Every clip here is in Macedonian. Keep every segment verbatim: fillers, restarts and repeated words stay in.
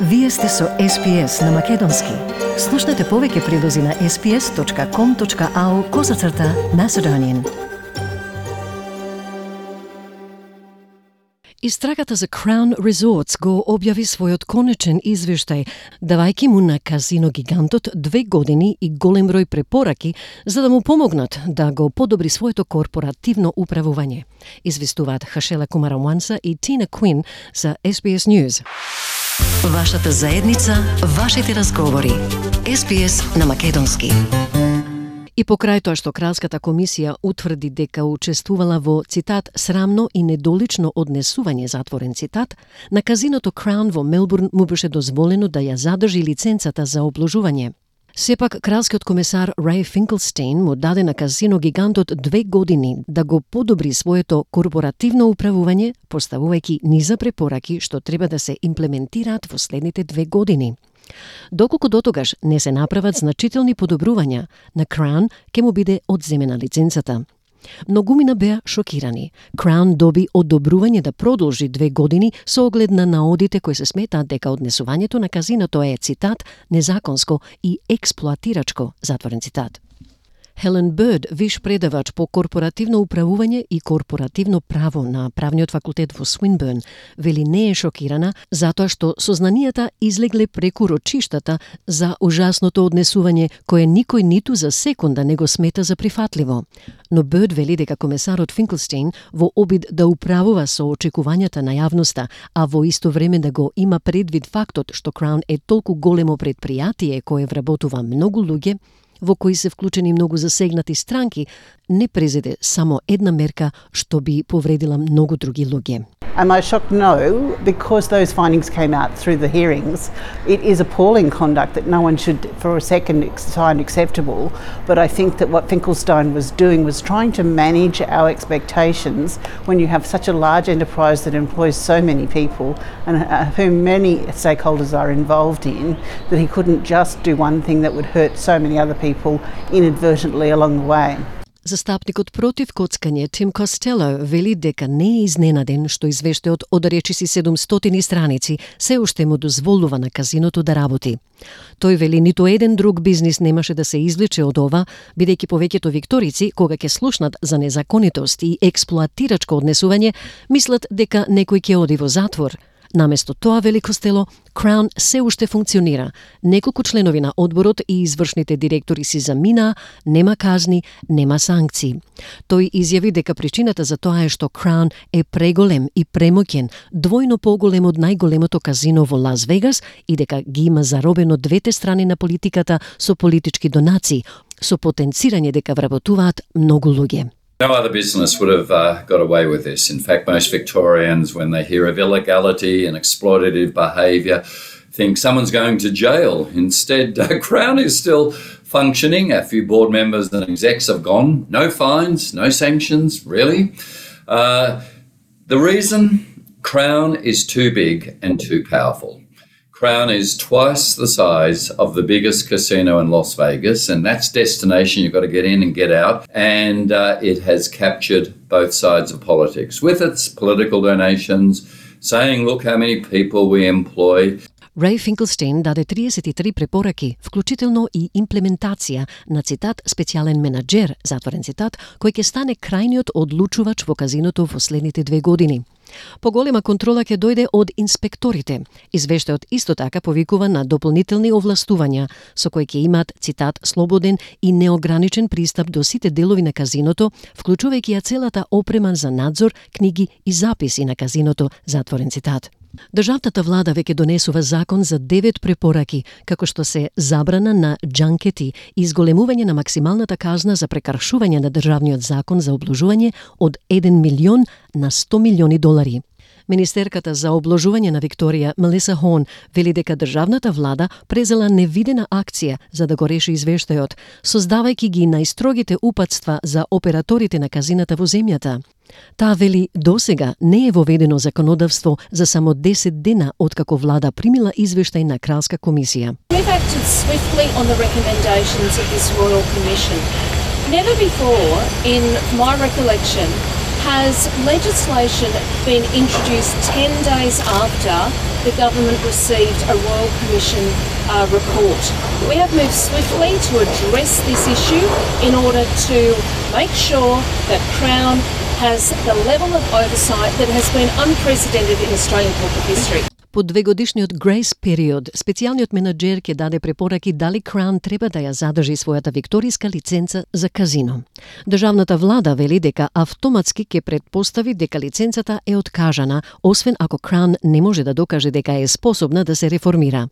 Вие сте со Ес Би Ес на Македонски. Слушнете повеќе прилози на ес би ес точка ком точка ау козацрта Macedonian. Истрагата за Crown Resorts го објави својот конечен извештај, давајќи му на казино гигантот две години и голем број препораки за да му помогнат да го подобри своето корпоративно управување. Известуваат Хашела Кумарамванса и Тина Куин за Ес Би Ес News. Вашата заедница, вашите разговори. Ес Би Ес на Македонски. И покрај тоа што Кралската комисија утврди дека учествувала во, цитат, срамно и недолично однесување, затворен цитат, на казиното Crown во Мелбурн му беше дозволено да ја задржи лиценцата за обложување. Сепак, кралскиот комесар Рей Финклстейн му даде на казино гигантот две години да го подобри своето корпоративно управување, поставувајќи низа препораки што треба да се имплементираат во следните две години. Доколку дотогаш не се направат значителни подобрувања, на Crown ќе му биде одземена лиценцата. Многумина беа шокирани. Crown доби одобрување да продолжи две години со оглед на наодите кои се сметаат дека однесувањето на казиното е, цитат, незаконско и експлоатирачко, затворен цитат. Хелен Бърд, виш предавач по корпоративно управување и корпоративно право на правниот факултет во Свинбърн, вели не е шокирана затоа што сознанијата излегле преку рочиштата за ужасното однесување кое никој ниту за секунда не го смета за прифатливо. Но Бърд вели дека комесарот Финклстейн во обид да управува со очекувањата на јавноста, а во исто време да го има предвид фактот што Crown е толку големо предпријатие кое вработува многу луѓе, во кои се вклучени многу засегнати странки, не презеде само една мерка што би повредила многу други луѓе. Am I shocked? No, because those findings came out through the hearings. It is appalling conduct that no one should for a second find acceptable, but I think that what Finkelstein was doing was trying to manage our expectations when you have such a large enterprise that employs so many people and uh, whom many stakeholders are involved in, that he couldn't just do one thing that would hurt so many other people inadvertently along the way. Застапникот против коцкање Тим Костело вели дека не е изненаден што извештајот од речиси седумстотини страници се уште му дозволува на казиното да работи. Тој вели ниту еден друг бизнис немаше да се извлече од ова, бидејќи повеќето викторици, кога ќе слушнат за незаконитост и експлоатирачко однесување, мислат дека некој ќе оди во затвор. Наместо тоа, вели Костело, Crown се уште функционира. Неколку членови на одборот и извршните директори си заминаа, нема казни, нема санкции. Тој изјави дека причината за тоа е што Crown е преголем и премоќен, двојно поголем од најголемото казино во Лас Вегас и дека ги има заробено двете страни на политиката со политички донации, со потенцирање дека вработуваат многу луѓе. No other business would have uh, got away with this. In fact, most Victorians, when they hear of illegality and exploitative behaviour, think someone's going to jail. Instead, uh, Crown is still functioning. A few board members and execs have gone. No fines, no sanctions, really. Uh, the reason? Crown is too big and too powerful. Crown is twice the size of the biggest casino in Las Vegas, and that's destination. You've got to get in and get out. And uh, it has captured both sides of politics with its political donations, saying, look how many people we employ. Рей Финклстейн даде триесет и три препораки, вклучително и имплементација на, цитат, специјален менаџер, затворен цитат, кој ќе стане крајниот одлучувач во казиното во следните две години. Поголема контрола ќе дојде од инспекторите. Извештајот исто така повикува на дополнителни овластувања, со кои ќе имаат, цитат, слободен и неограничен пристап до сите делови на казиното, вклучувајќи ја целата опрема за надзор, книги и записи на казиното, затворен цитат. Државната влада веќе донесува закон за девет препораки, како што се забрана на џанкети и изголемување на максималната казна за прекршување на државниот закон за обложување од еден милион на сто милиони долари. Министерката за обложување на Викторија, Мелиса Хон, вели дека државната влада презела невидена акција за да го реши извештајот, создавајќи ги најстрогите упатства за операторите на казината во земјата. Таа вели досега не е воведено законодавство за само десет дена откако влада примила извештај на Кралска комисија. We've acted swiftly on the recommendations of this Royal Commission. Never before, in my recollection, has legislation been introduced ten days after the government received a Royal Commission uh, report? We have moved swiftly to address this issue in order to make sure that Crown has the level of oversight that has been unprecedented in Australian corporate history. По двегодишниот грейс период, специјалниот менаџер ќе даде препораки дали Crown треба да ја задржи својата викториска лиценца за казино. Државната влада вели дека автоматски ќе претпостави дека лиценцата е откажана, освен ако Crown не може да докаже дека е способна да се реформира.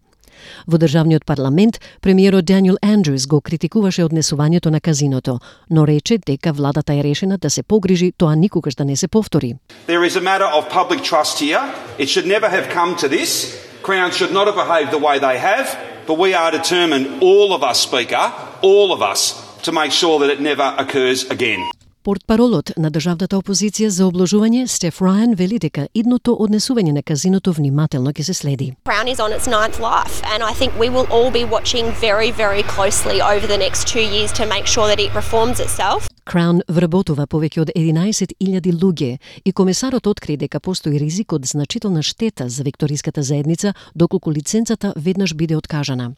Во државниот парламент, премиерот Даниел Андрюс го критикуваше однесувањето на казиното, но рече дека владата е решена да се погрижи тоа никогаш да не се повтори. There is a matter of public trust here. It should never have come to this. Crown should not have behaved the way they have, but we are determined, all of us, Speaker, all of us, to make sure that it never occurs again. Портпаролот на државната опозиција за обложување Стеф Рајан вели дека идното однесување на казиното внимателно ќе се следи. Crown is on its ninth life, and I think we will all be watching very, very closely over the next two years to make sure that it reforms itself. Crown вработува повеќе од единаесет илјади луѓе и комесарот откри дека постои ризик од значителна штета за викториската заедница доколку лиценцата веднаш биде откажана.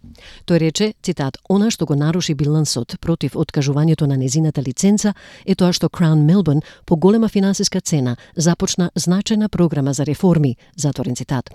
Тој рече, цитат, она што го наруши билансот против откажувањето на незината лиценца е тоа што Crown Melbourne по голема финансиска цена започна значајна програма за реформи, затворен цитат.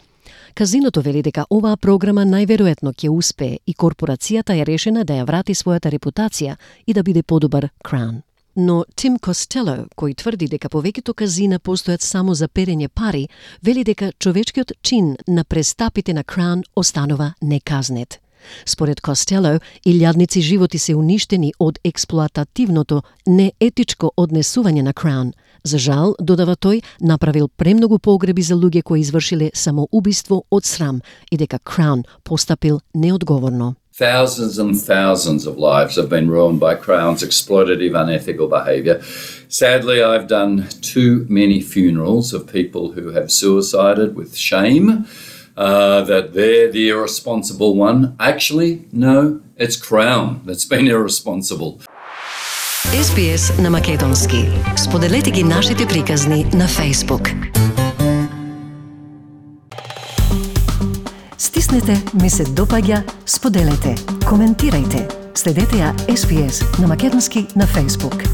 Казиното вели дека оваа програма најверојатно ќе успее и корпорацијата е решена да ја врати својата репутација и да биде подобар Crown. Но Тим Костело, кој тврди дека повеќето казина постојат само за перење пари, вели дека човечкиот чин на престапите на Crown останува неказнет. Според Костело, илјадници животи се уништени од експлоатативното, неетичко однесување на Crown. За жал, додава тој, направил премногу погреби за луѓе кои извршиле самоубиство од срам и дека Crown постапил неодговорно. Thousands and thousands of lives have been ruined by Crown's exploitative, unethical behaviour. Sadly, I've done too many funerals of people who have suicided with shame uh, that they're the irresponsible one. Actually, no, it's Crown that's been irresponsible. Ес Би Ес на македонски. Споделете ги нашите приказни на Facebook. Стиснете, ми се допаѓа, споделете, коментирајте. Следете ја Ес Би Ес на македонски на Facebook.